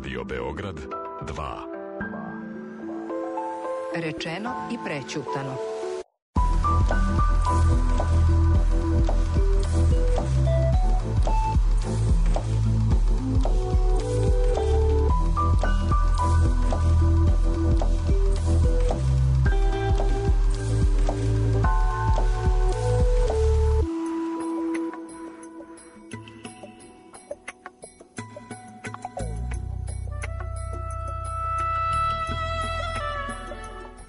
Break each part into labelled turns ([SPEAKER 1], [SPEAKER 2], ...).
[SPEAKER 1] Radio Beograd 2.
[SPEAKER 2] Rečeno i prećutano.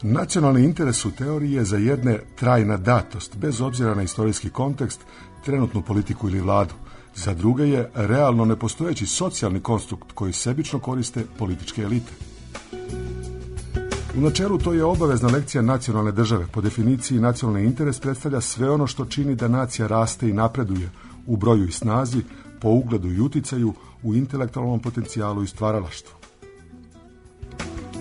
[SPEAKER 3] Nacionalni interes u teoriji je za jedne trajna datost, bez obzira na istorijski kontekst, trenutnu politiku ili vladu. Za druge je realno nepostojeći socijalni konstrukt koji sebično koriste političke elite. U načelu to je obavezna lekcija nacionalne države. Po definiciji nacionalni interes predstavlja sve ono što čini da nacija raste i napreduje u broju i snazi, po ugledu i uticaju, u intelektualnom potencijalu i stvaralaštvu.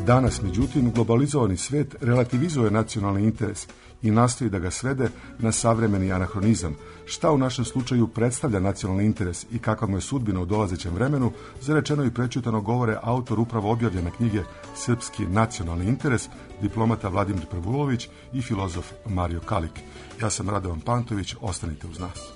[SPEAKER 3] Danas, međutim, globalizovani svijet relativizuje nacionalni interes i nastoji da ga svede na savremeni anahronizam. Šta u našem slučaju predstavlja nacionalni interes i kakva mu je sudbina u dolazećem vremenu, za rečeno i prećutano govore autor upravo objavljene knjige Srpski nacionalni interes, diplomata Vladimir Prvulović i filozof Mario Kalik. Ja sam Radovan Pantović, ostanite uz nas.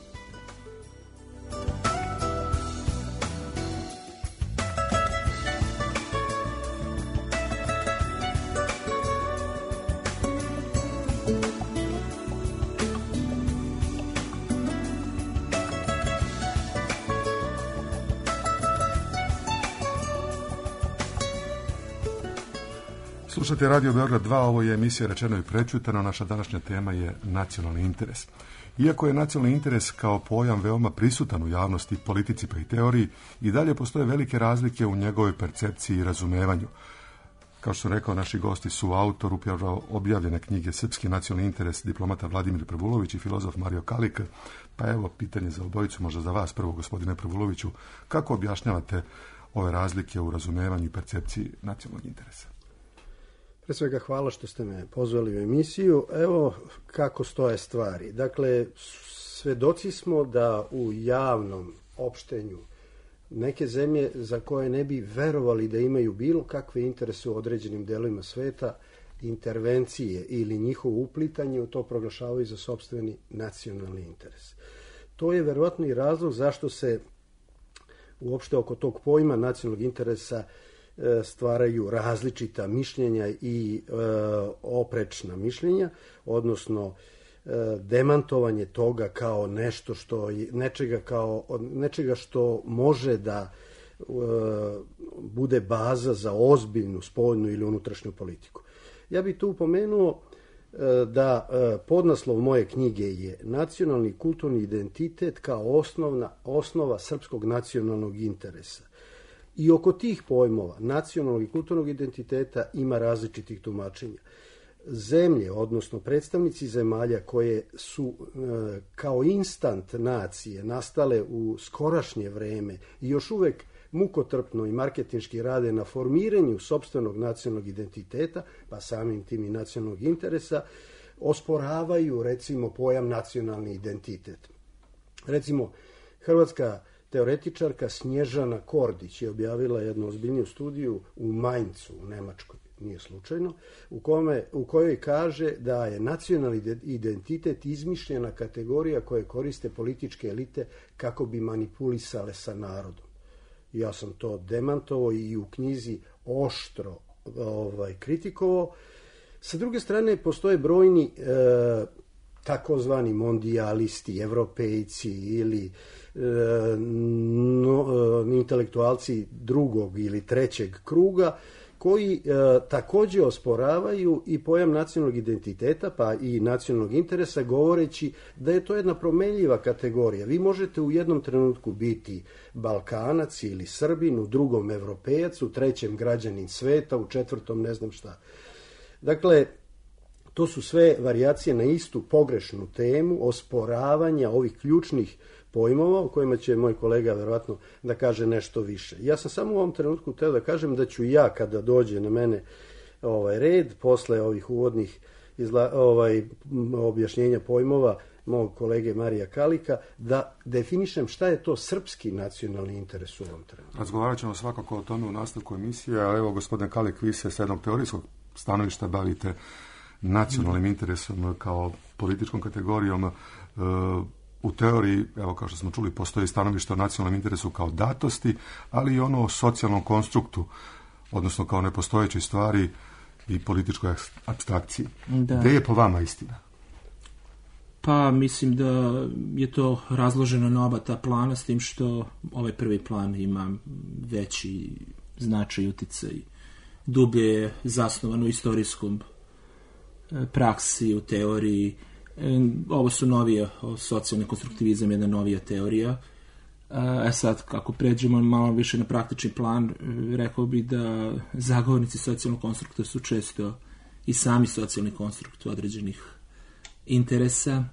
[SPEAKER 3] Slušate Radio Beograd 2, ovo je emisija Rečeno i prećutano. Naša današnja tema je nacionalni interes. Iako je nacionalni interes kao pojam veoma prisutan u javnosti, politici pa i teoriji, i dalje postoje velike razlike u njegovoj percepciji i razumevanju. Kao što sam rekao, naši gosti su autor upravo objavljene knjige Srpski nacionalni interes, diplomata Vladimir Prvulović i filozof Mario Kalik. Pa evo, pitanje za obojicu, možda za vas prvo, gospodine Prvuloviću, kako objašnjavate ove razlike u razumevanju i percepciji nacionalnog interesa?
[SPEAKER 4] Pre svega hvala što ste me pozvali u emisiju. Evo kako stoje stvari. Dakle, svedoci smo da u javnom opštenju neke zemlje za koje ne bi verovali da imaju bilo kakve interese u određenim delovima sveta, intervencije ili njihovo uplitanje u to proglašavaju za sopstveni nacionalni interes. To je verovatno i razlog zašto se uopšte oko tog pojma nacionalnog interesa stvaraju različita mišljenja i oprečna mišljenja, odnosno demantovanje toga kao nešto što nečega što može da bude baza za ozbiljnu spoljnu ili unutrašnju politiku. Ja bih tu upomenuo da podnaslov moje knjige je Nacionalni kulturni identitet kao osnova srpskog nacionalnog interesa. I oko tih pojmova nacionalnog i kulturnog identiteta ima različitih tumačenja. Zemlje, odnosno predstavnici zemalja koje su kao instant nacije nastale u skorašnje vreme i još uvek mukotrpno i marketinški rade na formiranju sopstvenog nacionalnog identiteta, pa samim tim i nacionalnog interesa, osporavaju recimo pojam nacionalni identitet. Recimo, hrvatska teoretičarka Snježana Kordić je objavila jednu ozbiljniju studiju u Mainzu, u Nemačkoj, nije slučajno, u kojoj kaže da je nacionalni identitet izmišljena kategorija koje koriste političke elite kako bi manipulisale sa narodom. Ja sam to demantovao i u knjizi oštro kritikovao. Sa druge strane, postoje brojni takozvani mondijalisti, evropejci ili intelektualci drugog ili trećeg kruga koji također osporavaju i pojam nacionalnog identiteta pa i nacionalnog interesa, govoreći da je to jedna promenljiva kategorija. Vi možete u jednom trenutku biti Balkanac ili Srbin, u drugom Evropejac, u trećem građanin sveta, u četvrtom ne znam šta. Dakle, to su sve varijacije na istu pogrešnu temu osporavanja ovih ključnih pojmova o kojima će moj kolega verovatno da kaže nešto više. Ja sam samo u ovom trenutku hteo da kažem da ću ja, kada dođe na mene red, posle ovih uvodnih objašnjenja pojmova, mog kolege Marija Kalika, da definišem šta je to srpski nacionalni interes u ovom trenutku.
[SPEAKER 3] Razgovarat ćemo svakako o tome u nastavku emisije, a evo, gospodine Kalik, vi se s jednog teorijskog stanovišta bavite nacionalnim interesom kao političkom kategorijom. U teoriji, evo kao što smo čuli, postoji stanovište o nacionalnom interesu kao datosti, ali i ono o socijalnom konstruktu, odnosno kao nepostojećoj stvari i političkoj apstrakciji. Gde je po vama istina?
[SPEAKER 5] Pa mislim da je to razloženo na oba ta plana, s tim što ovaj prvi plan ima veći značaj, uticaj, dublje je zasnovan u istorijskom praksi, u teoriji. Ovo su novije, socijalni konstruktivizam je jedna novija teorija. Sad, kako pređemo malo više na praktični plan, rekao bih da zagovornici socijalnog konstrukta su često i sami socijalni konstrukt određenih interesa,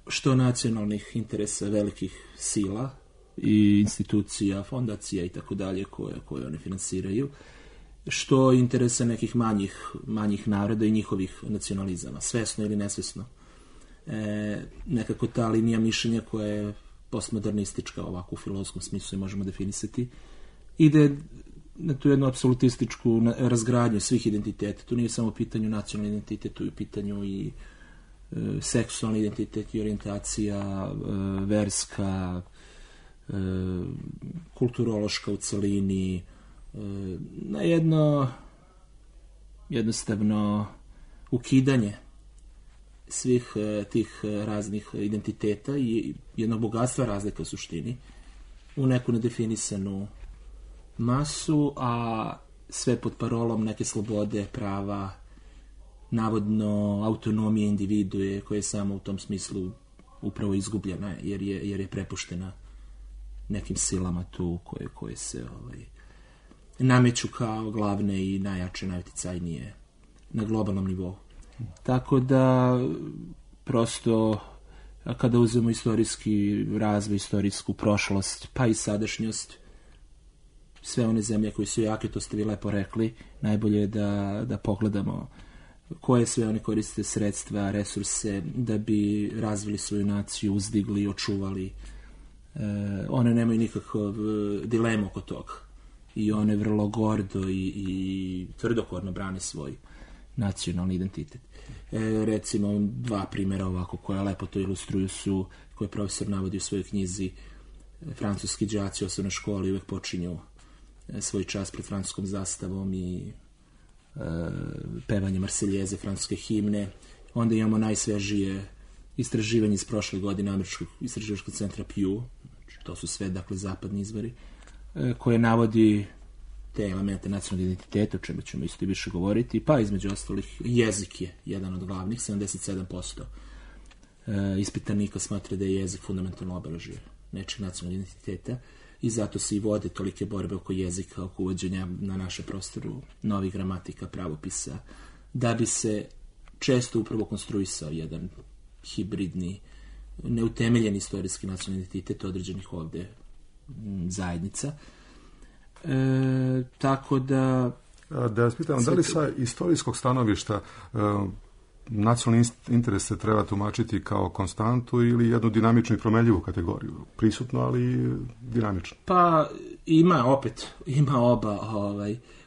[SPEAKER 5] što nacionalnih interesa velikih sila i institucija, fondacija i tako dalje koje one finansiraju, što interesa nekih manjih naroda i njihovih nacionalizama, svesno ili nesvesno. Nekako ta linija mišljenja koja je postmodernistička, ovako u filozofskom smislu je možemo definisati, ide na tu jednu apsolutističku razgradnju svih identiteta. Tu nije samo u pitanju nacionalni identitet, tu je u pitanju i seksualni identitet i orijentacija, verska, kulturološka u celini, na jedno jednostavno ukidanje svih tih raznih identiteta i jednog bogatstva razlika u suštini u neku nedefinisanu masu, a sve pod parolom neke slobode, prava, navodno autonomije individue koja je samo u tom smislu upravo izgubljena jer je prepuštena nekim silama tu koje se nameću kao glavne i najjače, najuticajnije na globalnom nivou. Tako da prosto kada uzmemo istorijski razvoj, istorijsku prošlost, pa i sadašnjost, sve one zemlje koje su jake, to ste vi lepo rekli, najbolje je da pogledamo koje sve one koriste sredstva, resurse da bi razvili svoju naciju, uzdigli, očuvali. One nemaju nikakav dilemu oko toga i one vrlo gordo i tvrdokorno brane svoj nacionalni identitet. Recimo, dva primjera ovako koja lepo to ilustruju su, koje profesor navodi u svojoj knjizi. Francuski đaci u osnovnoj školi uvek počinju svoj čas pred francuskom zastavom i pevanje Marseljeze, francuske himne. Onda imamo najsvežije istraživanje iz prošle godine Američkog istraživačkog centra Pew, to su sve, dakle, zapadni izvori, koje navodi te elemente nacionalnog identiteta, o čemu ćemo isto više govoriti, pa između ostalih jezik je jedan od glavnih, 77% ispitanika smatra da je jezik fundamentalno obeležje nečeg nacionalnog identiteta i zato se i vode tolike borbe oko jezika, oko uvođenja na naše prostoru novih gramatika, pravopisa, da bi se često upravo konstruisao jedan hibridni, neutemeljen istorijski nacionalni identitet određenih ovde zajednica. Tako da...
[SPEAKER 3] Da vas pitam, da li sa istorijskog stanovišta nacionalni interes se treba tumačiti kao konstantu ili jednu dinamičnu i promenljivu kategoriju? Prisutno, ali dinamično.
[SPEAKER 5] Pa ima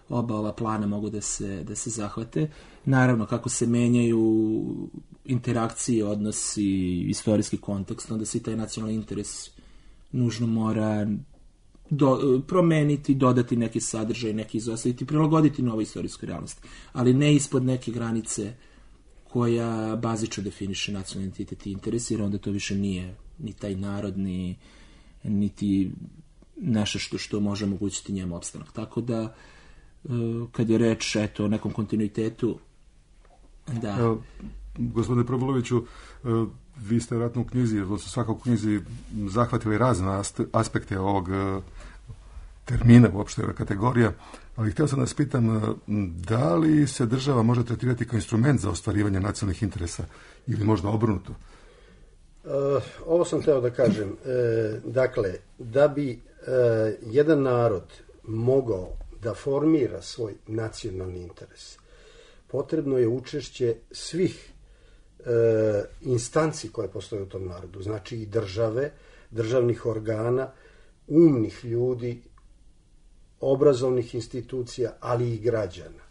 [SPEAKER 5] oba ova plana mogu da se zahvate. Naravno, kako se menjaju interakcije, odnosi, istorijski kontekst, onda se i taj nacionalni interes nužno mora promeniti, dodati neki sadržaj, neki izostaviti, prilagoditi novoj istorijskoj realnosti. Ali ne ispod neke granice koja bazično definiše nacionalni identitet i interes, jer onda to više nije ni taj narod, niti nešto što može omogućiti njemu opstanak. Tako da, kad je reč o nekom kontinuitetu, da...
[SPEAKER 3] Gospodine Probuloviću, vi ste vjerojatno u knjizi, odnosno svakako u knjizi zahvatili razne aspekte ovog termina, uopšte ove kategorija, ali htio sam da vas pitam, da li se država može tretirati kao instrument za ostvarivanje nacionalnih interesa ili možda obrnuto?
[SPEAKER 4] Ovo sam htio da kažem. Dakle, da bi jedan narod mogao da formira svoj nacionalni interes, potrebno je učešće svih instanci koje postoje u tom narodu, znači i države, državnih organa, umnih ljudi, obrazovnih institucija, ali i građana.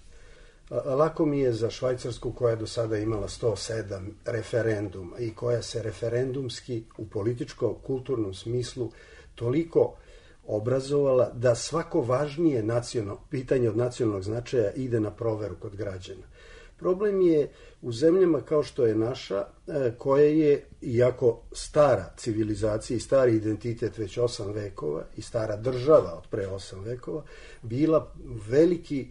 [SPEAKER 4] Lako mi je za Švajcarsku, koja je do sada imala 107 referenduma i koja se referendumski u političko-kulturnom smislu toliko obrazovala da svako važnije pitanje od nacionalnog značaja ide na proveru kod građana. Problem je u zemljama kao što je naša, koja je, iako stara civilizacija i stari identitet već 8 vekova i stara država od pre 8 vekova, bila veliki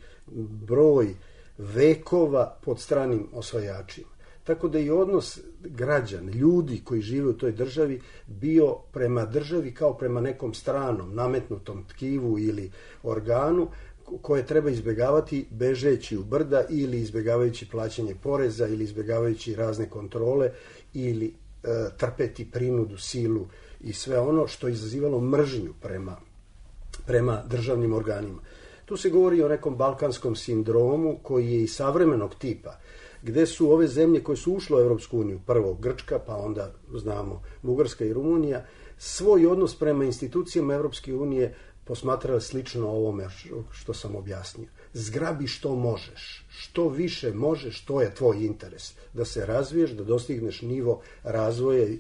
[SPEAKER 4] broj vekova pod stranim osvajačima. Tako da i odnos građana, ljudi koji žive u toj državi, bio prema državi kao prema nekom stranom, nametnutom tkivu ili organu, koje treba izbjegavati bežeći u brda ili izbjegavajući plaćanje poreza ili izbjegavajući razne kontrole ili trpeti prinudu, silu i sve ono što je izazivalo mržnju prema državnim organima. Tu se govori o nekom balkanskom sindromu koji je i savremenog tipa, gde su ove zemlje koje su ušle u Europsku uniju, prvo Grčka, pa onda znamo Bugarska i Rumunija, svoj odnos prema institucijama Europske unije posmatrali slično ovome što sam objasnio. Zgrabi što možeš, što više možeš, to je tvoj interes. Da se razviješ, da dostigneš nivo razvoja i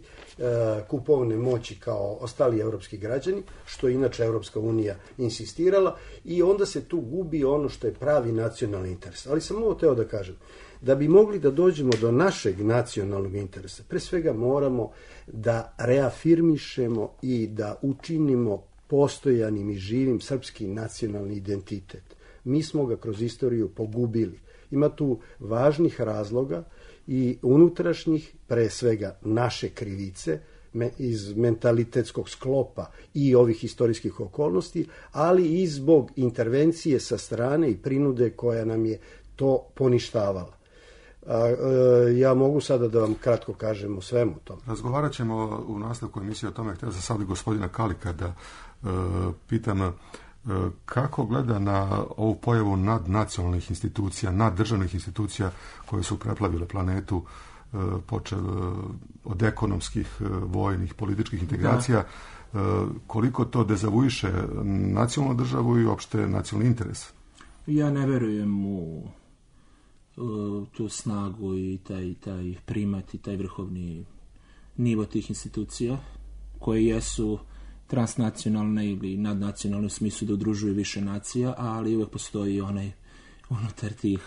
[SPEAKER 4] kupovne moći kao ostali evropski građani, što je inače Evropska unija insistirala, i onda se tu gubi ono što je pravi nacionalni interes. Ali sam ovo teo da kažem, da bi mogli da dođemo do našeg nacionalnog interesa, pre svega moramo da reafirmišemo i da učinimo postojanim i živim srpski nacionalni identitet. Mi smo ga kroz istoriju pogubili. Ima tu važnih razloga i unutrašnjih, pre svega naše krivice, iz mentalitetskog sklopa i ovih istorijskih okolnosti, ali i zbog intervencije sa strane i prinude koja nam je to poništavala. Ja mogu sada da vam kratko kažem o svemu tome.
[SPEAKER 3] Razgovarat ćemo u nastavku emisije o tome. Htio sam sad gospodina Kalika da pitam kako gleda na ovu pojavu nadnacionalnih institucija, naddržavnih institucija koje su preplavile planetu, počev od ekonomskih, vojnih, političkih integracija. Koliko to dezavuiše nacionalnu državu i uopšte nacionalni interes?
[SPEAKER 5] Ja ne verujem u tu snagu i taj primat i taj vrhovni nivo tih institucija koje jesu transnacionalne ili nadnacionalne u smislu da udružuju više nacija, ali uvek postoji onaj unutar tih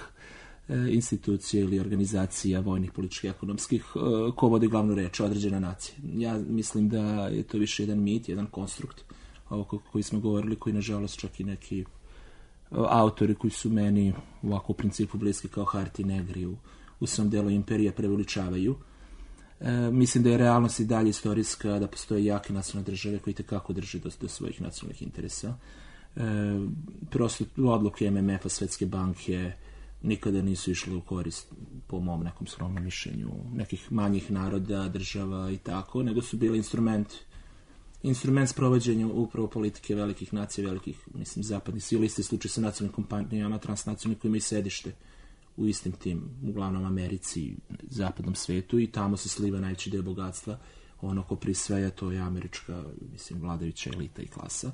[SPEAKER 5] institucija ili organizacija vojnih, političkih, ekonomskih ko vodi glavnu reč, određena nacija. Ja mislim da je to više jedan mit, jedan konstrukt ovo koji smo govorili, koji nažalost čak i neki autori koji su meni ovako u principu bliski kao Harti Negri u svom delu imperija preveličavaju. Mislim da je realnost i dalje istorijska, da postoje jake nacionalne države koji tekako drže do svojih nacionalnih interesa. Prosto odluke MMF-a, Svetske banke nikada nisu išle u korist, po mom nekom skromnom mišljenju, nekih manjih naroda, država i tako, nego su bili instrument sprovođenja upravo politike velikih nacija, velikih, mislim, zapadnih sila. Isti slučaj sa nacionalnim kompanijama, transnacionalnim, koji imaju sedište u istim tim, uglavnom Americi, zapadnom svetu, i tamo se sliva najveći deo bogatstva. Ono ko prisvaja, to je američka, mislim, vladajuća elita i klasa.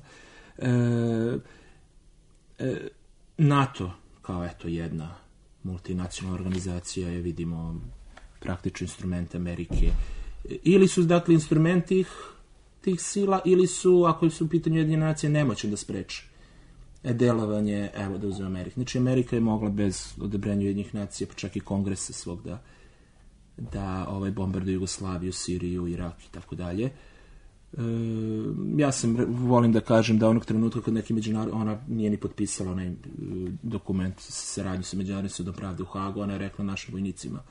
[SPEAKER 5] NATO, kao eto jedna multinacionalna organizacija, je, vidimo, praktično instrument Amerike. Ili su, dakle, instrumenti tih sila, ili su, ako su u pitanju Ujedinjene nacije, nemoćni da spreče delovanje, evo da uzmem Ameriku. Znači, Amerika je mogla bez odobrenja Ujedinjenih nacija, pa čak i kongresa svog, da bombarduje Jugoslaviju, Siriju, Irak i tako dalje. Ja volim da kažem da onog trenutka kad neki ona nije ni potpisala onaj dokument saradnju sa Međunarodnim sudom pravde u Hagu, ona je rekla našim vojnicima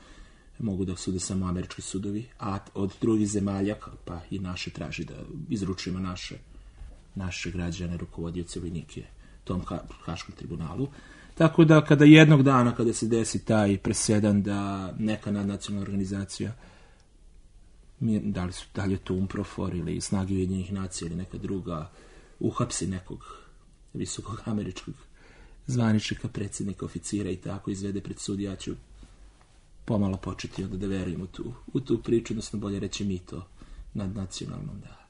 [SPEAKER 5] mogu da sude samo američki sudovi, a od drugih zemalja, pa i naše, traži da izručujemo naše građane, rukovodioce, vojnike tom Haškom tribunalu. Tako da kada jednog dana, kada se desi taj presedan da neka nadnacionalna organizacija, da li je to UNPROFOR ili Snage Ujedinjenih nacija ili neka druga, uhapsi nekog visokog američkog zvaničnika, predsjednika, oficira i tako izvede pred sud, ja ću pomalo početi onda da verujemo u tu priču, odnosno bolje reći mi to nadnacionalnom, da.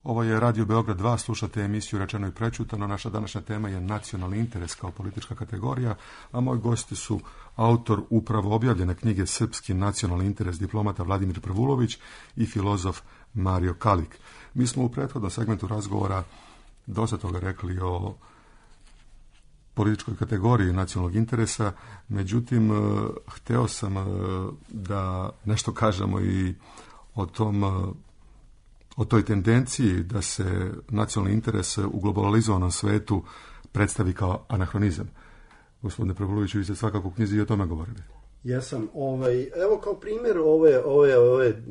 [SPEAKER 3] Ovo je Radio Beograd 2, slušate emisiju Rečeno i prečutano. Naša današnja tema je nacionalni interes kao politička kategorija, a moji gosti su autor upravo objavljene knjige Srpski nacionalni interes diplomata Vladimir Prvulović i filozof Mario Kalik. Mi smo u prethodnom segmentu razgovora dosta toga rekli o političkoj kategoriji nacionalnog interesa, međutim, hteo sam da nešto kažemo i o toj tendenciji da se nacionalni interes u globalizovanom svetu predstavi kao anahronizam. Gospodine Prvuloviću, vi ste svakako u knjizi i o tome govorili.
[SPEAKER 4] Ja sam, evo kao primjer ove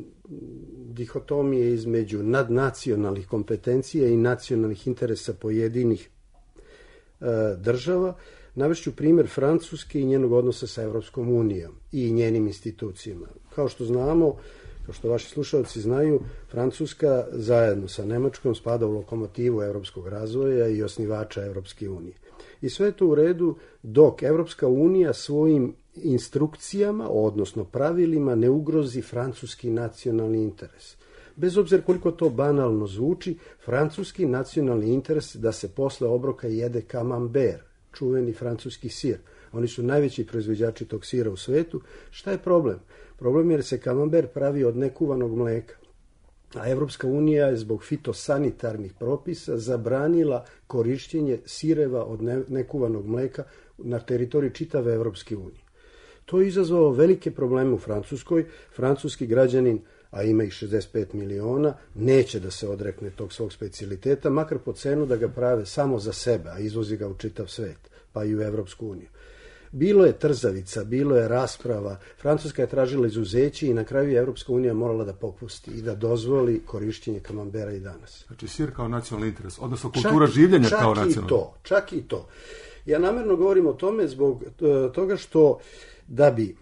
[SPEAKER 4] dihotomije između nadnacionalnih kompetencija i nacionalnih interesa pojedinih država, navešću primjer Francuske i njenog odnosa sa Evropskom unijom i njenim institucijama. Kao što znamo, kao što vaši slušalci znaju, Francuska zajedno sa Nemačkom spada u lokomotivu evropskog razvoja i osnivača Evropske unije. I sve je to u redu dok Evropska unija svojim instrukcijama, odnosno pravilima, ne ugrozi francuski nacionalni interes. Bez obzira koliko to banalno zvuči, francuski nacionalni interes da se posle obroka jede camembert, čuveni francuski sir. Oni su najveći proizvođači tog sira u svetu. Šta je problem? Problem je jer se camembert pravi od nekuvanog mleka. A Evropska unija je zbog fitosanitarnih propisa zabranila korišćenje sireva od nekuvanog mleka na teritoriji čitave Evropske unije. To je izazvalo velike probleme u Francuskoj. Francuski građanin, a ima ih 65 miliona, neće da se odrekne tog svog specijaliteta, makar po cenu da ga prave samo za sebe, a izvozi ga u čitav svet, pa i u Evropsku uniju. Bilo je trzavica, bilo je rasprava, Francuska je tražila izuzeće i na kraju je Evropska unija morala da popusti i da dozvoli korišćenje camembera i danas.
[SPEAKER 3] Znači sir kao nacionalni interes, odnosno kultura življenja kao nacionalni.
[SPEAKER 4] Čak i to. Ja namjerno govorim o tome zbog toga što da bi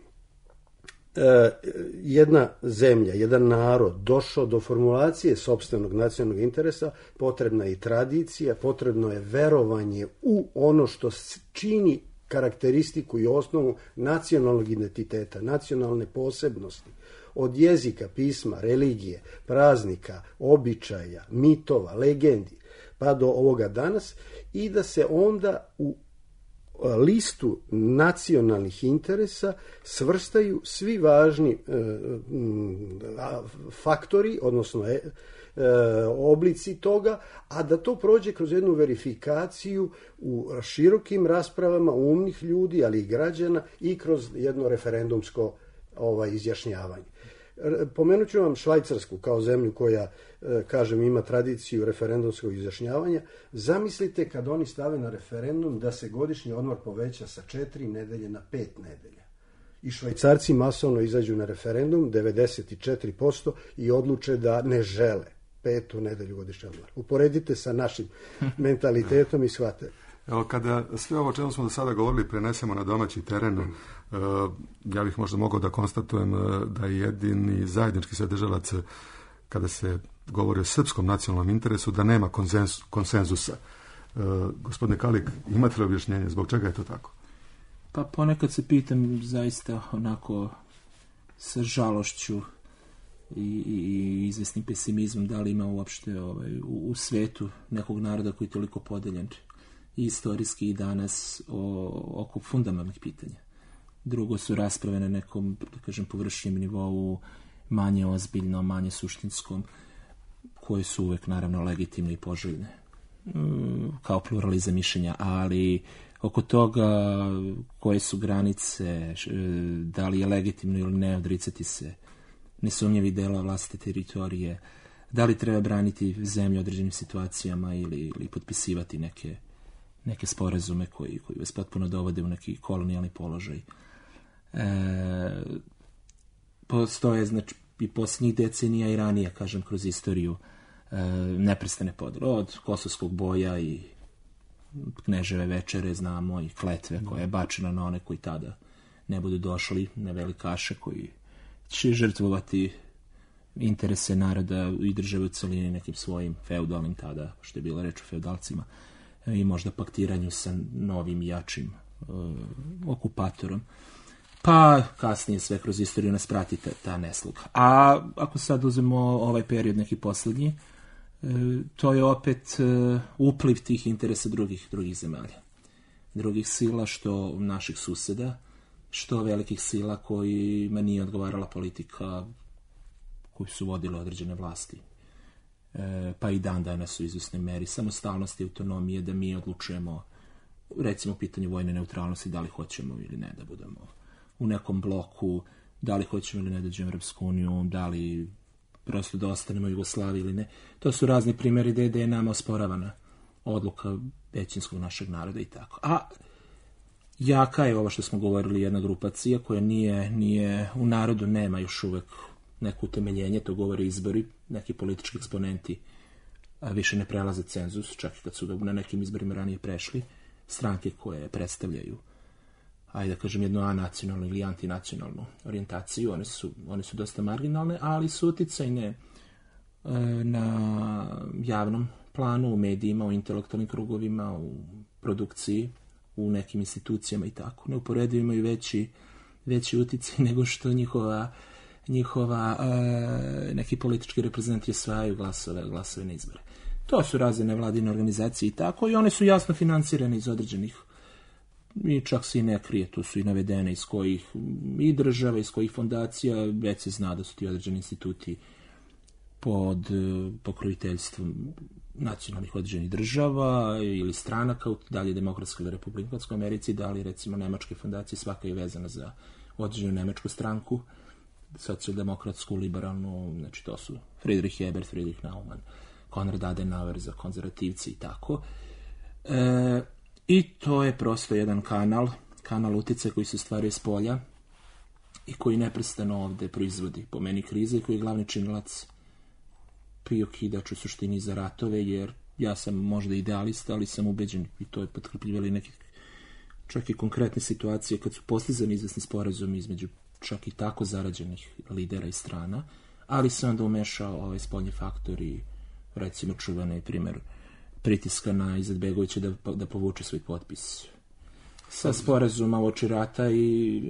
[SPEAKER 4] jedna zemlja, jedan narod došao do formulacije sopstvenog nacionalnog interesa, potrebna je i tradicija, potrebno je verovanje u ono što čini karakteristiku i osnovu nacionalnog identiteta, nacionalne posebnosti, od jezika, pisma, religije, praznika, običaja, mitova, legendi, pa do ovoga danas, i da se onda u listu nacionalnih interesa svrstaju svi važni faktori, odnosno oblici toga, a da to prođe kroz jednu verifikaciju u širokim raspravama umnih ljudi, ali i građana, i kroz jedno referendumsko izjašnjavanje. Pomenut ću vam Švajcarsku kao zemlju koja, kažem, ima tradiciju referendumskog izjašnjavanja. Zamislite kad oni stave na referendum da se godišnji odmor poveća sa 4 nedelje na 5 nedelja. I Švajcarci masovno izađu na referendum, 94%, i odluče da ne žele 5. nedelju godišnji odmor. Uporedite sa našim mentalitetom i shvatite.
[SPEAKER 3] Evo, kada sve ovo čemu smo do sada govorili prenesemo na domaći teren, ja bih možda mogao da konstatujem da je jedini zajednički sadržalac kada se govori o srpskom nacionalnom interesu, da nema konsenzusa. Gospodine Kalik, imate li objašnjenje zbog čega je to tako?
[SPEAKER 5] Pa ponekad se pitam zaista onako sa žalošću i izvesnim pesimizmom da li ima uopšte u svetu nekog naroda koji je toliko podeljen i istorijski i danas oko fundamentalnih pitanja. Drugo su rasprave na nekom, da kažem, površnijem nivou, manje ozbiljno, manje suštinskom, koje su uvek naravno legitimne i poželjne kao pluralizam mišljenja, ali oko toga koje su granice, da li je legitimno ili ne odricati se nesumnjivih dela vlastite teritorije, da li treba braniti zemlju u određenim situacijama ili potpisivati neke sporazume koji vas potpuno dovode u neki kolonijalni položaj. Postoje, znači, i posljednjih decenija i ranije, kažem, kroz istoriju neprestane podele, od Kosovskog boja i Kneževe večere, znamo, i kletve koja je bačena na one koji tada ne budu došli, na velikaše koji će žrtvovati interese naroda i države u celini nekim svojim feudalnim tada, što je bila reč o feudalcima, i možda paktiranju sa novim jačim okupatorom. Pa kasnije sve kroz istoriju nas prati ta nesluga. A ako sad uzmemo ovaj period neki poslednji, to je opet upliv tih interesa drugih zemalja. Drugih sila, što naših suseda, što velikih sila kojima nije odgovarala politika koju su vodile određene vlasti. Pa i dan danas u izvesnoj meri samostalnosti i autonomije da mi odlučujemo, recimo u pitanju vojne neutralnosti, da li hoćemo ili ne da budemo u nekom bloku, da li hoćemo ili ne da dođemo u Evropsku uniju, da li prosto da ostanemo u Jugoslaviji ili ne. To su razni primjeri gde je nama osporavana odluka većinskog našeg naroda i tako. A jaka je ovo što smo govorili, jedna grupacija koja nije u narodu, nema još uvek neko utemeljenje, to govore izbori, neki politički eksponenti više ne prelaze cenzus, čak i kad su na nekim izborima ranije prešli, stranke koje predstavljaju, ajde da kažem, jednu anacionalnu ili antinacionalnu orijentaciju, one su dosta marginalne, ali su uticajne na javnom planu, u medijima, u intelektualnim krugovima, u produkciji, u nekim institucijama i tako. Neuporedivo imaju veći uticaj nego što njihova neki politički reprezentanti osvajaju glasove na izbore. To su razne nevladine organizacije i tako, i one su jasno financirane iz određenih, i čak se i ne krije, tu su i navedene iz kojih i država, iz kojih fondacija, već se zna da su ti određeni instituti pod pokroviteljstvom nacionalnih određenih država ili stranaka, da li je demokratska ili republikanska u Americi, da li recimo nemačke fondacije, svaka je vezana za određenu nemačku stranku, socijaldemokratsku, liberalnu, znači to su Friedrich Ebert, Friedrich Naumann, Konrad Adenauer za konzervativci i tako. I to je prosto jedan kanal uticaja koji se stvaruje s polja i koji neprestano ovde proizvodi, po meni, krize, i koji je glavni činilac i okidač u suštini za ratove, jer ja sam možda idealista, ali sam ubeđen, i to je potkrepljivali neke čak i konkretne situacije kad su postizani izvesni sporazumi između čak i tako zarađenih lidera i strana, ali se onda umešao ovaj spoljni faktor i recimo čuvani primjer pritiska na Izetbegovića da povuče svoj potpis sa sporazuma uoči rata i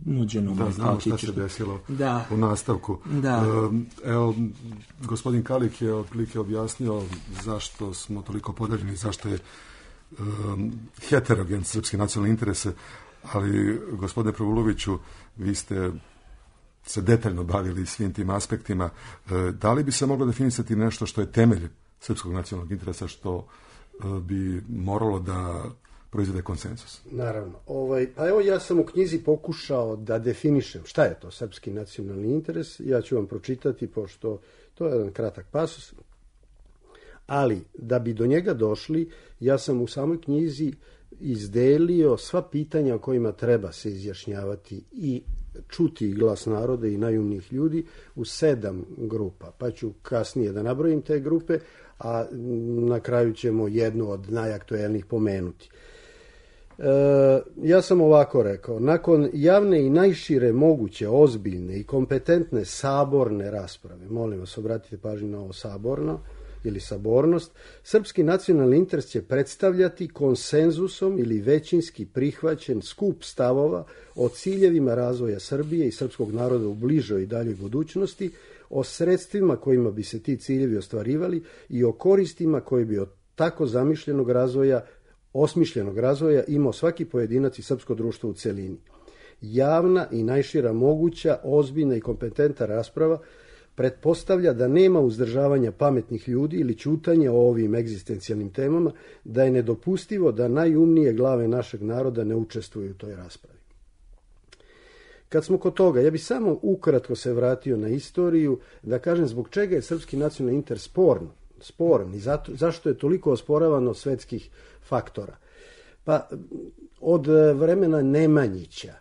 [SPEAKER 5] nuđeno.
[SPEAKER 3] Da, znamo šta se desilo u nastavku.
[SPEAKER 5] Da.
[SPEAKER 3] Evo, gospodin Kalik je otprilike objasnio zašto smo toliko podeljeni, zašto je heterogen srpski nacionalni interese, ali gospodine Pravuloviću, vi ste se detaljno bavili svim tim aspektima. Da li bi se moglo definisati nešto što je temelj srpskog nacionalnog interesa, što bi moralo da proizvede konsenzus?
[SPEAKER 4] Naravno. Pa evo, ja sam u knjizi pokušao da definišem šta je to srpski nacionalni interes. Ja ću vam pročitati, pošto to je jedan kratak pasus. Ali, da bi do njega došli, ja sam u samoj knjizi izdelio sva pitanja o kojima treba se izjašnjavati i čuti glas naroda i najumnijih ljudi u 7 grupa. Pa ću kasnije da nabrojim te grupe, a na kraju ćemo jednu od najaktuelnijih pomenuti. Ja sam ovako rekao: nakon javne i najšire moguće, ozbiljne i kompetentne saborne rasprave, molim vas obratite pažnju na ovo saborno ili sabornost, srpski nacionalni interes će predstavljati konsenzusom ili većinski prihvaćen skup stavova o ciljevima razvoja Srbije i srpskog naroda u bližoj i daljoj budućnosti, o sredstvima kojima bi se ti ciljevi ostvarivali i o koristima koje bi od tako zamišljenog razvoja, osmišljenog razvoja imao svaki pojedinac i srpsko društvo u celini. Javna i najšira moguća, ozbiljna i kompetentna rasprava pretpostavlja da nema uzdržavanja pametnih ljudi ili ćutanja o ovim egzistencijalnim temama, da je nedopustivo da najumnije glave našeg naroda ne učestvuju u toj raspravi. Kad smo kod toga, ja bih samo ukratko se vratio na istoriju, da kažem zbog čega je srpski nacionalni interes sporan i zašto je toliko osporavan od svetskih faktora. Pa od vremena Nemanjića,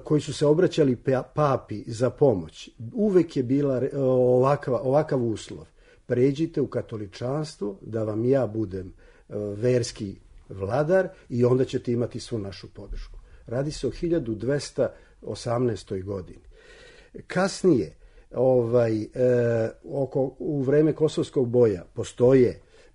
[SPEAKER 4] koji su se obraćali papi za pomoć, uvek je bila ovakav uslov: pređite u katoličanstvo da vam ja budem verski vladar i onda ćete imati svu našu podršku. Radi se o 1218. godini. Kasnije, u vreme Kosovskog boja,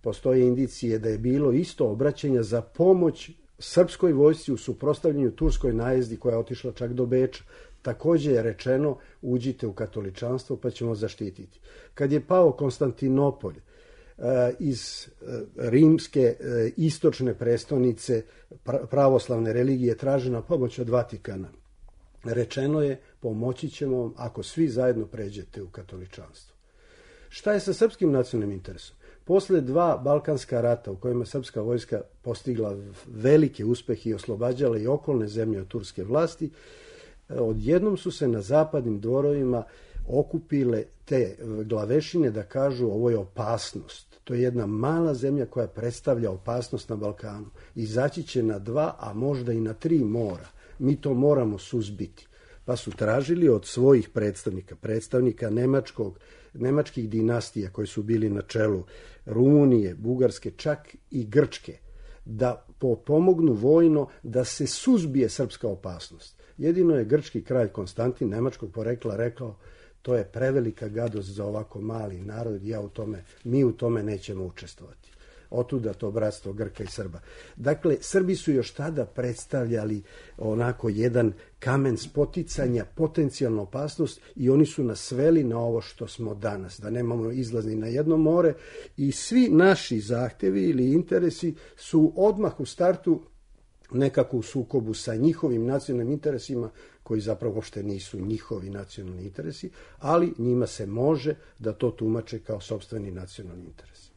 [SPEAKER 4] postoje indicije da je bilo isto obraćanja za pomoć srpskoj vojsci u suprotstavljanju turskoj najezdi koja je otišla čak do Beča. Također je rečeno: uđite u katoličanstvo pa ćemo zaštititi. Kad je pao Konstantinopolj, iz rimske istočne prestonice pravoslavne religije tražena pomoć od Vatikana, rečeno je: pomoći ćemo vam ako svi zajedno pređete u katoličanstvo. Šta je sa srpskim nacionalnim interesom? Posle 2 balkanska rata u kojima srpska vojska postigla velike uspehe i oslobađala i okolne zemlje od turske vlasti, odjednom su se na zapadnim dvorovima okupile te glavešine da kažu: ovo je opasnost. To je jedna mala zemlja koja predstavlja opasnost na Balkanu. Izaći će na 2, a možda i na 3 mora. Mi to moramo suzbiti. Pa su tražili od svojih predstavnika nemačkih dinastija koji su bili na čelu Rumunije, Bugarske, čak i Grčke, da pomognu vojno da se suzbije srpska opasnost. Jedino je grčki kralj Konstantin, nemačkog porekla, rekao: to je prevelika gadost za ovako mali narod, mi u tome nećemo učestvovati. otuda to bratstvo Grka i Srba. Dakle, Srbi su još tada predstavljali onako jedan kamen spoticanja, potencijalnu opasnost i oni su nas sveli na ovo što smo danas, da nemamo izlaz ni na jedno more i svi naši zahtevi ili interesi su odmah u startu nekako u sukobu sa njihovim nacionalnim interesima koji zapravo uopšte nisu njihovi nacionalni interesi, ali njima se može da to tumače kao sopstveni nacionalni interes.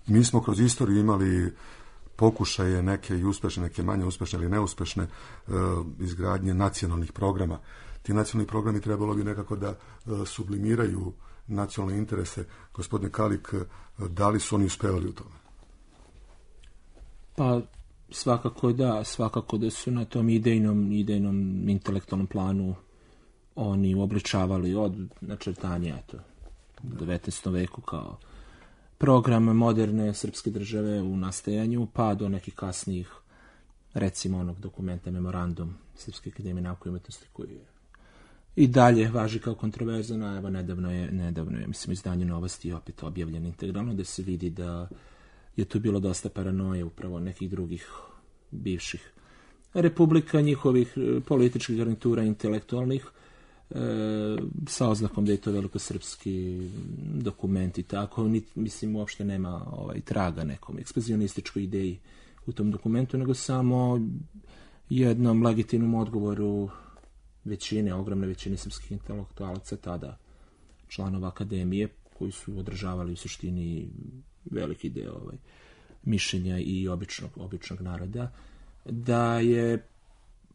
[SPEAKER 3] Mi smo kroz istoriju imali pokušaje neke i uspešne, neke manje uspešne ili neuspešne izgradnje nacionalnih programa. Ti nacionalni programi trebalo bi nekako da sublimiraju nacionalne interese. Gospodine Kalik, da li su oni uspevali u tome?
[SPEAKER 5] Pa svakako da su na tom idejnom intelektualnom planu oni uobličavali od načrtanja u 19. veku kao program moderne srpske države u nastajanju, pa do nekih kasnijih, recimo onog dokumenta Memorandum Srpske akademije nauke i umetnosti koji je i dalje važi kao kontroverzan, a evo nedavno je mislim izdanje Novosti opet objavljen integralno, da se vidi da je tu bilo dosta paranoje upravo nekih drugih bivših republika, njihovih političkih garnitura intelektualnih, sa oznakom da je to velikosrpski dokument i tako. Mislim, uopšte nema traga nekom ekspanzionističkoj ideji u tom dokumentu, nego samo jednom legitimnom odgovoru ogromne većine srpskih intelektualaca, tada članova akademije, koji su održavali u suštini veliki deo mišljenja i običnog naroda, da je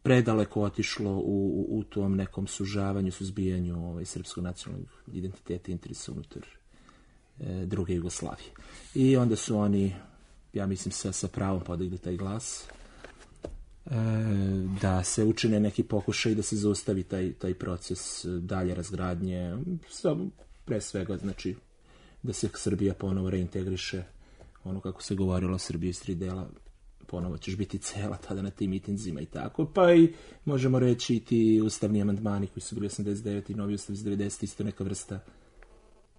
[SPEAKER 5] predaleko otišlo u tom nekom sužavanju, suzbijanju srpskog nacionalnog identiteta i interesa unutar druge Jugoslavije. I onda su oni, ja mislim, sa pravom podigli taj glas, da se učine neki pokušaj da se zaustavi taj proces dalje razgradnje, pre svega, znači, da se Srbija ponovo reintegriše, ono kako se govorilo, Srbija iz 3 dela, ponovo ćeš biti cela tada na tim mitinzima i tako, pa i možemo reći i ti ustavni amandmani koji su bili 89 i novi ustav iz 90, isto neka vrsta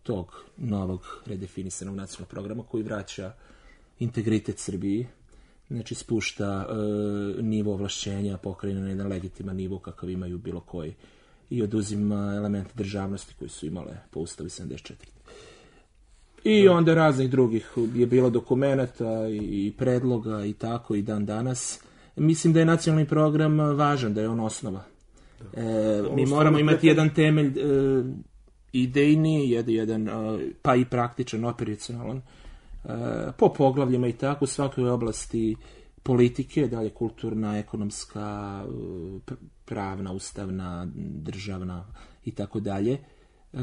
[SPEAKER 5] tog novog redefinisanog nacionalnog programa koji vraća integritet Srbiji, znači spušta nivo ovlašćenja pokrajine na jedan legitiman nivo kakav imaju bilo koji i oduzima elemente državnosti koji su imale po ustavu 74. I onda raznih drugih je bilo dokumenata i predloga i tako i dan danas. Mislim da je nacionalni program važan, da je on osnova. Mi moramo imati jedan temelj idejni, jedan pa i praktičan, operacionalan, po poglavljima i tako, u svakoj oblasti politike, dalje kulturna, ekonomska, pravna, ustavna, državna i tako dalje,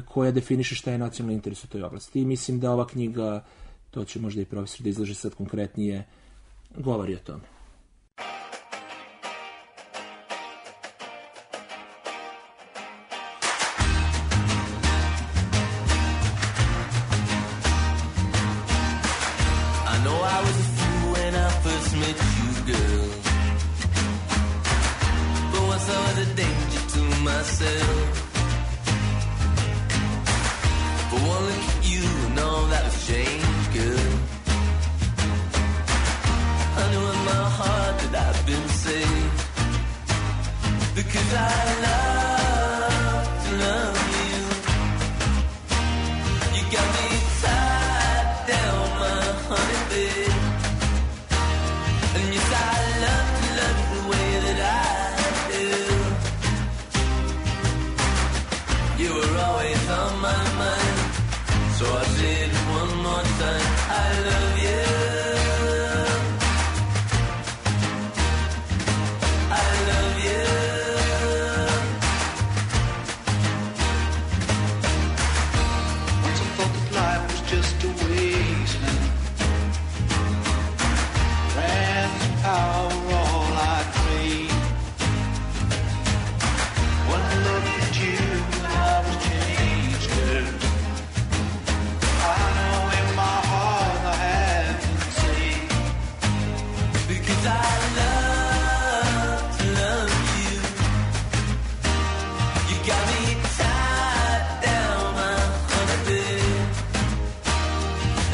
[SPEAKER 5] koja definiše šta je nacionalni interes u toj oblasti. I mislim da ova knjiga, to će možda i profesor da izlaže sad konkretnije, govori o tome.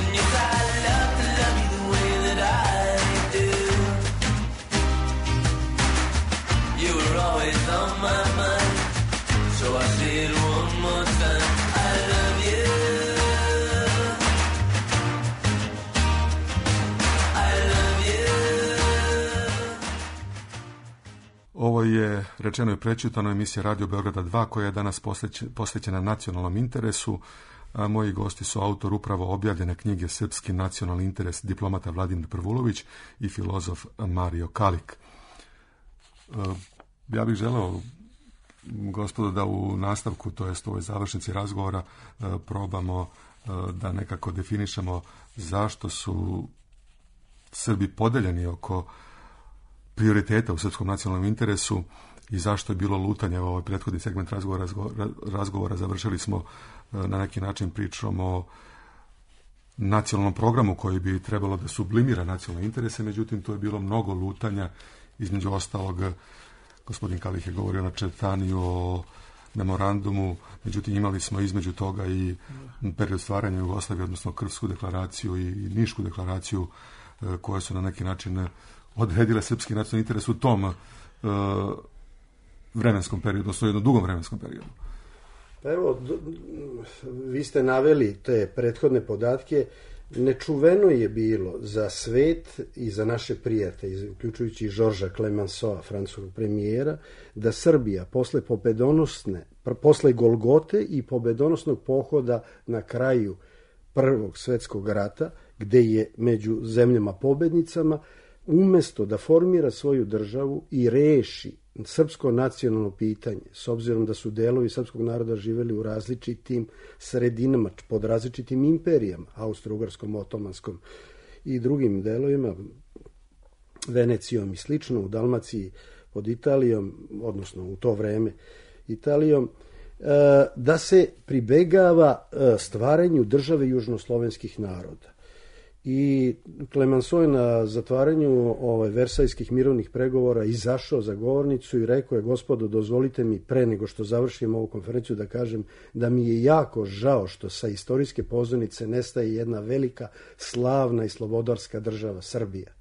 [SPEAKER 6] And you وأخير one more time I love you I love you.
[SPEAKER 3] Ovo je rečeno i prečitano emisija Radio Beograda 2 koja je danas posvećena nacionalnom interesu. A moji gosti su autor upravo objavljene knjige Srpski nacionalni interes, diplomata Vladimir Prvulović i filozof Mario Kalik. Ja bih želeo, gospodo, da u nastavku, to jest u ovoj završnici razgovora, probamo da nekako definišemo zašto su Srbi podeljeni oko prioriteta u srpskom nacionalnom interesu i zašto je bilo lutanje. Ovaj prethodni segment razgovora završili smo na neki način pričom o nacionalnom programu koji bi trebalo da sublimira nacionalne interese, međutim to je bilo mnogo lutanja, između ostalog gospodin Kalih je govorio na četaniju o memorandumu, međutim imali smo između toga i period stvaranja Jugoslavije, odnosno Krfsku deklaraciju i Nišku deklaraciju koje su na neki način odredile srpski nacionalni interes u tom vremenskom periodu, odnosno jednom dugom vremenskom periodu.
[SPEAKER 4] Pa evo, vi ste naveli te prethodne podatke. Nečuveno je bilo za svet i za naše prijatelje, uključujući i Žorža Clemenceau, francuskog premijera, da Srbija posle Golgote i pobedonosnog pohoda na kraju Prvog svjetskog rata, gde je među zemljama pobednicama, umesto da formira svoju državu i reši srpsko nacionalno pitanje, s obzirom da su delovi srpskog naroda živeli u različitim sredinama, pod različitim imperijama, Austro-Ugarskom, Otomanskom i drugim delovima, Venecijom i slično, u Dalmaciji pod Italijom, odnosno u to vreme Italijom, da se pribegava stvaranju države južnoslovenskih naroda. I Clemenceau je na zatvaranju Versajskih mirovnih pregovora izašao za govornicu i rekao je: gospodo, dozvolite mi pre nego što završim ovu konferenciju da kažem da mi je jako žao što sa istorijske pozornice nestaje jedna velika, slavna i slobodarska država Srbija.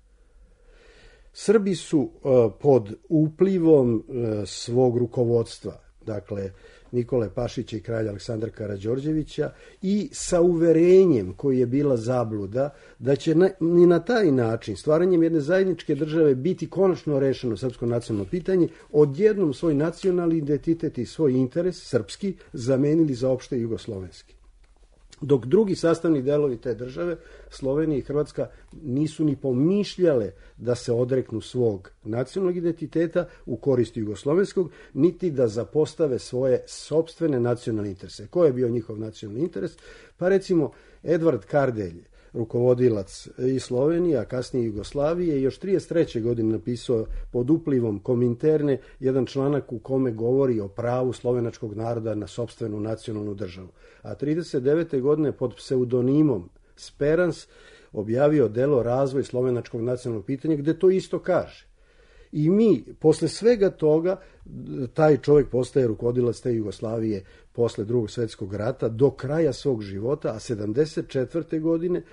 [SPEAKER 4] Srbi su pod uplivom svog rukovodstva, dakle Nikole Pašića i kralja Aleksandra Karađorđevića, i sa uverenjem koji je bila zabluda da će ni na taj način, stvaranjem jedne zajedničke države, biti konačno rešeno srpsko nacionalno pitanje, odjednom svoj nacionalni identitet i svoj interes srpski zamenili za opšte jugoslovenski. Dok drugi sastavni delovi te države, Slovenija i Hrvatska, nisu ni pomišljale da se odreknu svog nacionalnog identiteta u korist jugoslovenskog, niti da zapostave svoje sopstvene nacionalne interese. Koji je bio njihov nacionalni interes? Pa recimo, Edvard Kardelj, rukovodilac i Slovenije, a kasnije Jugoslavije, još 1933. godine napisao pod uplivom Kominterne jedan članak u kome govori o pravu slovenačkog naroda na sopstvenu nacionalnu državu. A 1939. godine pod pseudonimom Sperans objavio delo Razvoj slovenačkog nacionalnog pitanja, gde to isto kaže. I mi, posle svega toga, taj čovjek postaje rukovodilac te Jugoslavije posle Drugog svjetskog rata do kraja svog života, a 1974. godine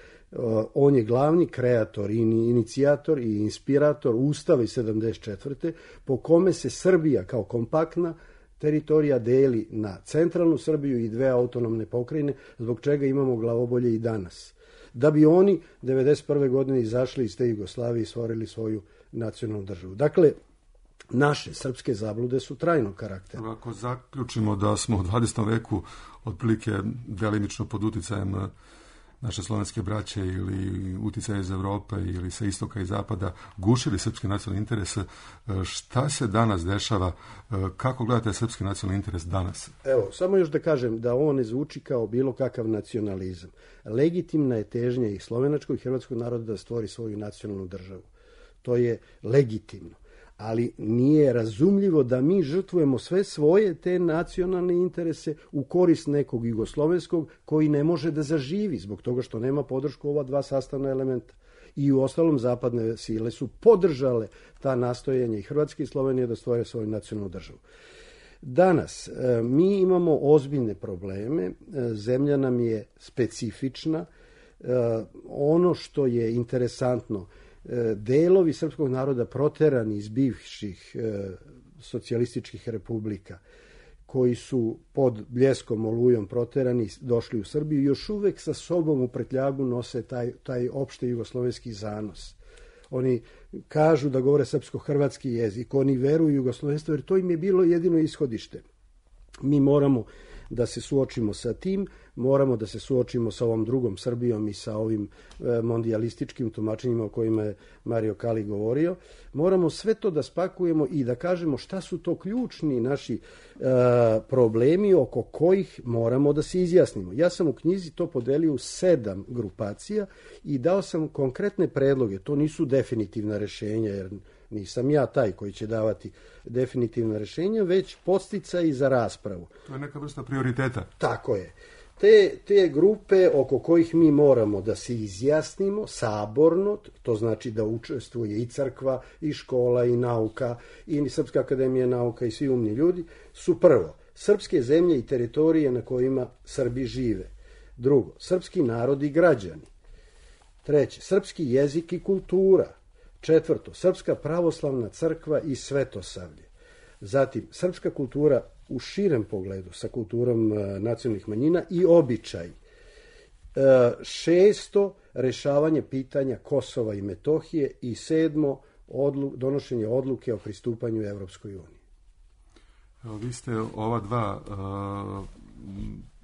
[SPEAKER 4] on je glavni kreator, inicijator i inspirator Ustava iz 1974. po kome se Srbija kao kompaktna teritorija deli na centralnu Srbiju i dve autonomne pokrajine, zbog čega imamo glavobolje i danas. Da bi oni 1991. godine izašli iz te Jugoslavije i stvorili svoju nacionalnu državu. Dakle, naše srpske zablude su trajnog karaktera.
[SPEAKER 3] Ako zaključimo da smo u 20. veku otprilike delimično pod uticajem naše slovenske braće ili uticaje iz Evrope ili sa istoka i zapada gušili srpski nacionalni interes, šta se danas dešava? Kako gledate srpski nacionalni interes danas?
[SPEAKER 4] Evo, samo još da kažem da ovo ne zvuči kao bilo kakav nacionalizam. Legitimna je težnja i slovenačkog i hrvatskog naroda da stvori svoju nacionalnu državu. To je legitimno. Ali nije razumljivo da mi žrtvujemo sve svoje te nacionalne interese u korist nekog jugoslovenskog koji ne može da zaživi zbog toga što nema podršku ova dva sastavna elementa. I u ostalom zapadne sile su podržale ta nastojanja i Hrvatske i Slovenije da stvore svoju nacionalnu državu. Danas mi imamo ozbiljne probleme, zemlja nam je specifična. Ono što je interesantno, delovi srpskog naroda proterani iz bivših socijalističkih republika, koji su pod Bljeskom olujom proterani, došli u Srbiju, još uvek sa sobom u prtljagu nose taj opšte jugoslovenski zanos. Oni kažu da govore srpsko-hrvatski jezik, oni veruju u jugoslovenstvo, jer to im je bilo jedino ishodište. Mi moramo da se suočimo sa tim, moramo da se suočimo sa ovom drugom Srbijom i sa ovim mondijalističkim tumačenjima o kojima je Mario Kali govorio. Moramo sve to da spakujemo i da kažemo šta su to ključni naši problemi oko kojih moramo da se izjasnimo. Ja sam u knjizi to podelio u 7 grupacija i dao sam konkretne predloge. To nisu definitivna rešenja, jer nisam ja taj koji će davati definitivna rešenja, već podsticaji za raspravu.
[SPEAKER 3] To je neka vrsta prioriteta.
[SPEAKER 4] Tako je. Te grupe oko kojih mi moramo da se izjasnimo saborno, to znači da učestvuje i crkva, i škola, i nauka, i Srpska akademija nauka i svi umni ljudi, su prvo, srpske zemlje i teritorije na kojima Srbi žive. Drugo, srpski narod i građani. Treće, srpski jezik i kultura. Četvrto, Srpska pravoslavna crkva i svetosavlje. Zatim, srpska kultura u širem pogledu sa kulturom nacionalnih manjina i običaj. Šesto, rešavanje pitanja Kosova i Metohije i sedmo, donošenje odluke o pristupanju Evropskoj uniji.
[SPEAKER 3] Vi ste ova dva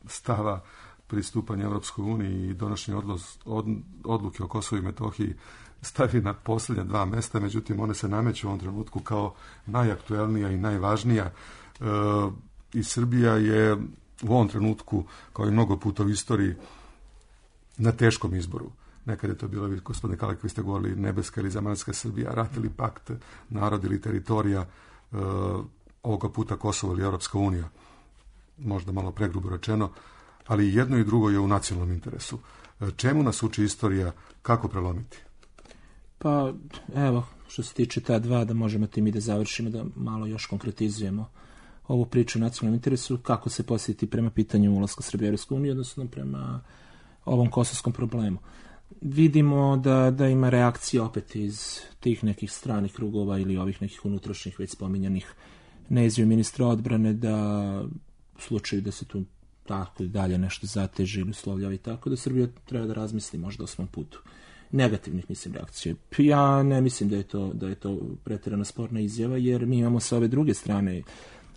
[SPEAKER 3] stava pristupanja Evropskoj uniji i donošenje odluke o Kosovu i Metohiji stavi na posljednja 2 mesta, međutim one se nameću u ovom trenutku kao najaktuelnija i najvažnija. I Srbija je u ovom trenutku, kao i mnogo puta u istoriji, na teškom izboru. Nekad je to bilo, gospodine Kalek, vi ste govorili nebeska ili zemaljska Srbija, rat ili pakt, narod ili teritorija, ovoga puta Kosovo ili Europska unija. Možda malo pregrubo rečeno, ali jedno i drugo je u nacionalnom interesu. Čemu nas uči istorija, kako prelomiti?
[SPEAKER 5] Pa, evo, što se tiče ta dva, da možemo tim i da završimo, da malo još konkretizujemo ovu priču o nacionalnom interesu, kako se posjetiti prema pitanju ulaska Srbije u Europsku uniju, odnosno prema ovom kosovskom problemu. Vidimo da ima reakcija opet iz tih nekih stranih krugova ili ovih nekih unutrašnjih već spominjanih na izjavu ministra odbrane, da u slučaju da se tu tako i dalje nešto zateži ili uslovljava i tako, da Srbija treba da razmisli možda o svom putu. Negativnih, mislim, reakcija. Ja ne mislim da je to pretjerano sporna izjava, jer mi imamo sa ove druge strane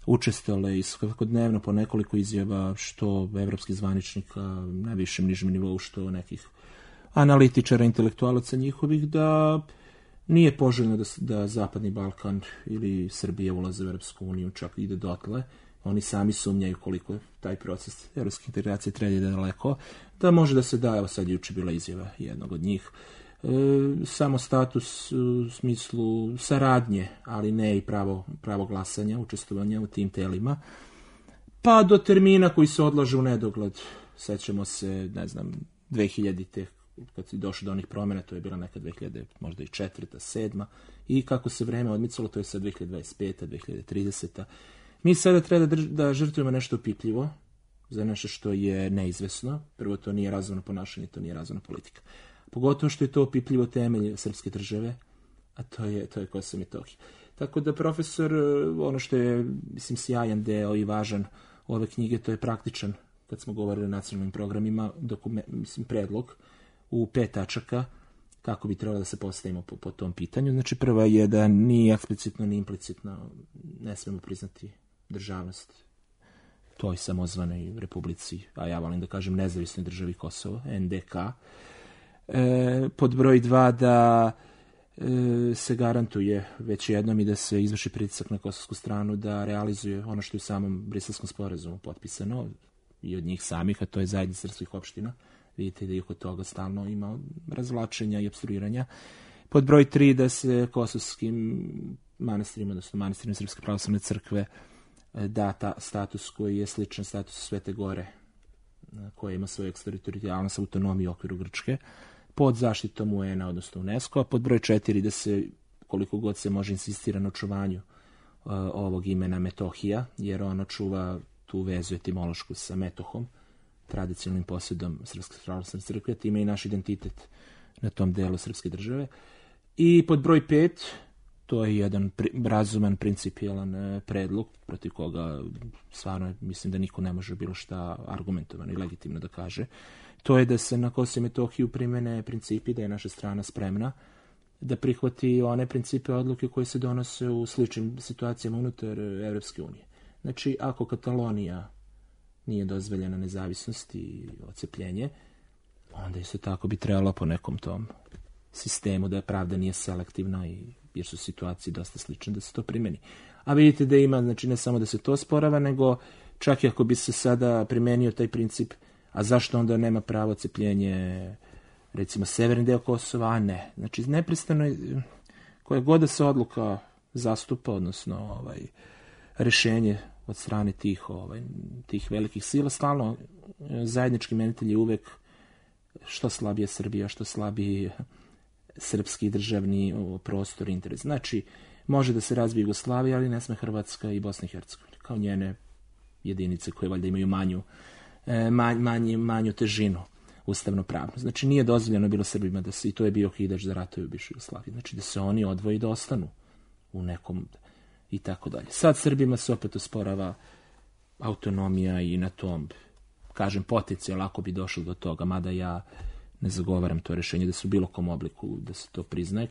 [SPEAKER 5] učestale i svakodnevno po nekoliko izjava, što evropskih zvaničnika na višem nižem nivou, što nekih analitičara, intelektualaca njihovih, da nije poželjno da Zapadni Balkan ili Srbija ulaze u Evropsku uniju, čak ide dotle. Oni sami sumnjaju koliko taj proces evropske integracije treba da daleko, da može da se da, evo sad juče bila izjava jednog od njih, samo status u smislu saradnje, ali ne i pravo glasanja, učestvovanja u tim telima, pa do termina koji se odlaže u nedogled. Sećamo se, 2000-te, kad si došao do onih promjena, to je bila neka 2000, možda i 4., 7. I kako se vreme odmicalo, to je sad 2025., 2030. Mi sada treba da žrtvujemo nešto opipljivo za nešto što je neizvesno. Prvo, to nije razumno ponašanje, to nije razumna politika. Pogotovo što je to opipljivo temelj srpske države, a to je Kosovo i Metohija. Tako da, profesor, ono što je, mislim, sjajan deo i važan ove knjige, to je praktičan, kad smo govorili o nacionalnim programima, predlog u 5 tačaka kako bi trebalo da se postavimo po tom pitanju. Znači, prva je da ni eksplicitno ni implicitno ne smemo priznati državnost toj samozvanoj republici, a ja volim da kažem nezavisnoj državi Kosovo, NDK. Pod broj 2 da se garantuje već jednom i da se izvrši pritisak na kosovsku stranu da realizuje ono što je u samom Briselskom sporazumu potpisano i od njih samih, a to je zajednica srpskih opština. Vidite da i oko toga stalno ima razvlačenja i opstruiranja. Pod broj 3 da se kosovskim manastirima, odnosno manastirima Srpske pravoslavne crkve, da status koji je sličan statusu Svete Gore, koja ima svoju eksteritorijalnost, autonomiju u okviru Grčke, pod zaštitom UN-a, odnosno UNESCO, a pod broj 4 da se, koliko god se može, insistira na očuvanju ovog imena Metohija, jer ono čuva tu vezu etimološku sa Metohom, tradicionalnim posjedom Srpske pravoslavne crkve, time i naš identitet na tom delu srpske države. I pod broj 5, To je jedan razuman, principijelan predlog protiv koga stvarno mislim da niko ne može bilo šta argumentovano i legitimno da kaže. To je da se na Kosovu i Metohiju primene principi, da je naša strana spremna da prihvati one principe odluke koje se donose u sličnim situacijama unutar Evropske unije. Znači, ako Katalonija nije dozvoljena nezavisnost i ocepljenje, onda isto tako bi trebalo po nekom tom sistemu da pravda nije selektivna jer su situacije dosta slične da se to primeni. A vidite da ima, znači ne samo da se to sporava, nego čak i ako bi se sada primenio taj princip, a zašto onda nema pravo cepljenje recimo severni deo Kosova, a ne. Znači neprestano koja god da se odluka zastupa, odnosno rešenje od strane tih velikih sila, stalno zajednički imenitelj je uvek što slabije Srbija, što slabiji srpski državni prostor, interes. Znači, može da se razvije Jugoslavija, ali ne sme Hrvatska i Bosna i Hercegovina, kao njene jedinice koje valjda imaju manju težinu ustavno pravno. Znači, nije dozvoljeno bilo Srbima da se, i to je bio okidač za ratove u bivšoj Jugoslaviji, znači da se oni odvoji da ostanu u nekom i tako dalje. Sad Srbima se opet osporava autonomija i na tom, kažem, potencijal ako bi došlo do toga, mada ja ne zagovaram to rešenje da se u bilo kom obliku da se to priznaje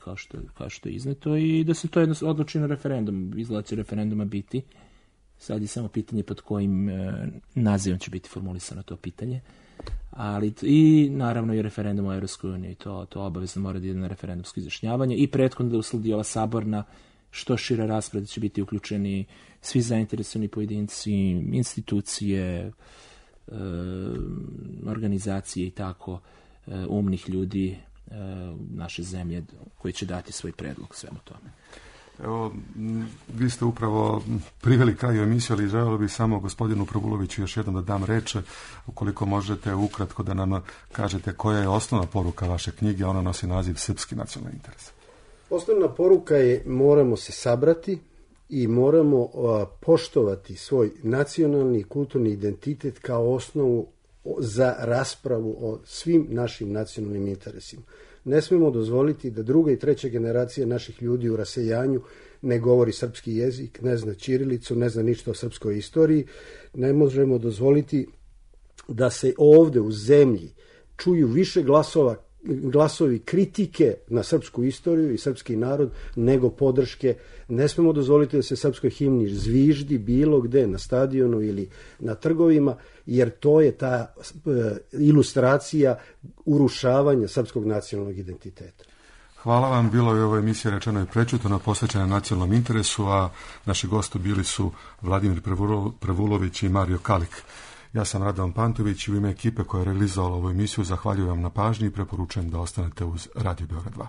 [SPEAKER 5] kao što je izneto i da se to jedno odluči na referendum. Izgleda će referenduma biti. Sad je samo pitanje pod kojim nazivom će biti formulisano to pitanje. Ali i naravno i referendum o Evropskoj uniji, to obavezno mora da ide na referendumsko izjašnjavanje i prethodno da usledi ova saborna što šira rasprava, će biti uključeni svi zainteresovani pojedinci, institucije, organizacije i tako umnih ljudi naše zemlje koji će dati svoj predlog svemu tome.
[SPEAKER 3] Evo, vi ste upravo priveli kraju emisiju, ali želeo bih samo gospodinu Pravuloviću još jednom da dam reč, ukoliko možete ukratko da nam kažete koja je osnovna poruka vaše knjige, ona nosi naziv Srpski nacionalni interes.
[SPEAKER 4] Osnovna poruka je moramo se sabrati i moramo poštovati svoj nacionalni i kulturni identitet kao osnovu za raspravu o svim našim nacionalnim interesima. Ne smemo dozvoliti da druga i treća generacija naših ljudi u rasejanju ne govori srpski jezik, ne zna ćirilicu, ne zna ništa o srpskoj istoriji. Ne možemo dozvoliti da se ovde u zemlji čuju više glasovi kritike na srpsku istoriju i srpski narod nego podrške. Ne smemo dozvoliti da se srpskoj himni zviždi bilo gde, na stadionu ili na trgovima, jer to je ta ilustracija urušavanja srpskog nacionalnog identiteta.
[SPEAKER 3] Hvala vam, bilo je ovo emisija Rečeno i prećutano, posvećena nacionalnom interesu, a naši gosti bili su Vladimir Pravulović i Mario Kalik. Ja sam Radovan Pantović i u ime ekipe koja je realizovala ovu emisiju zahvaljujem vam na pažnji i preporučujem da ostanete uz Radio Beograd 2.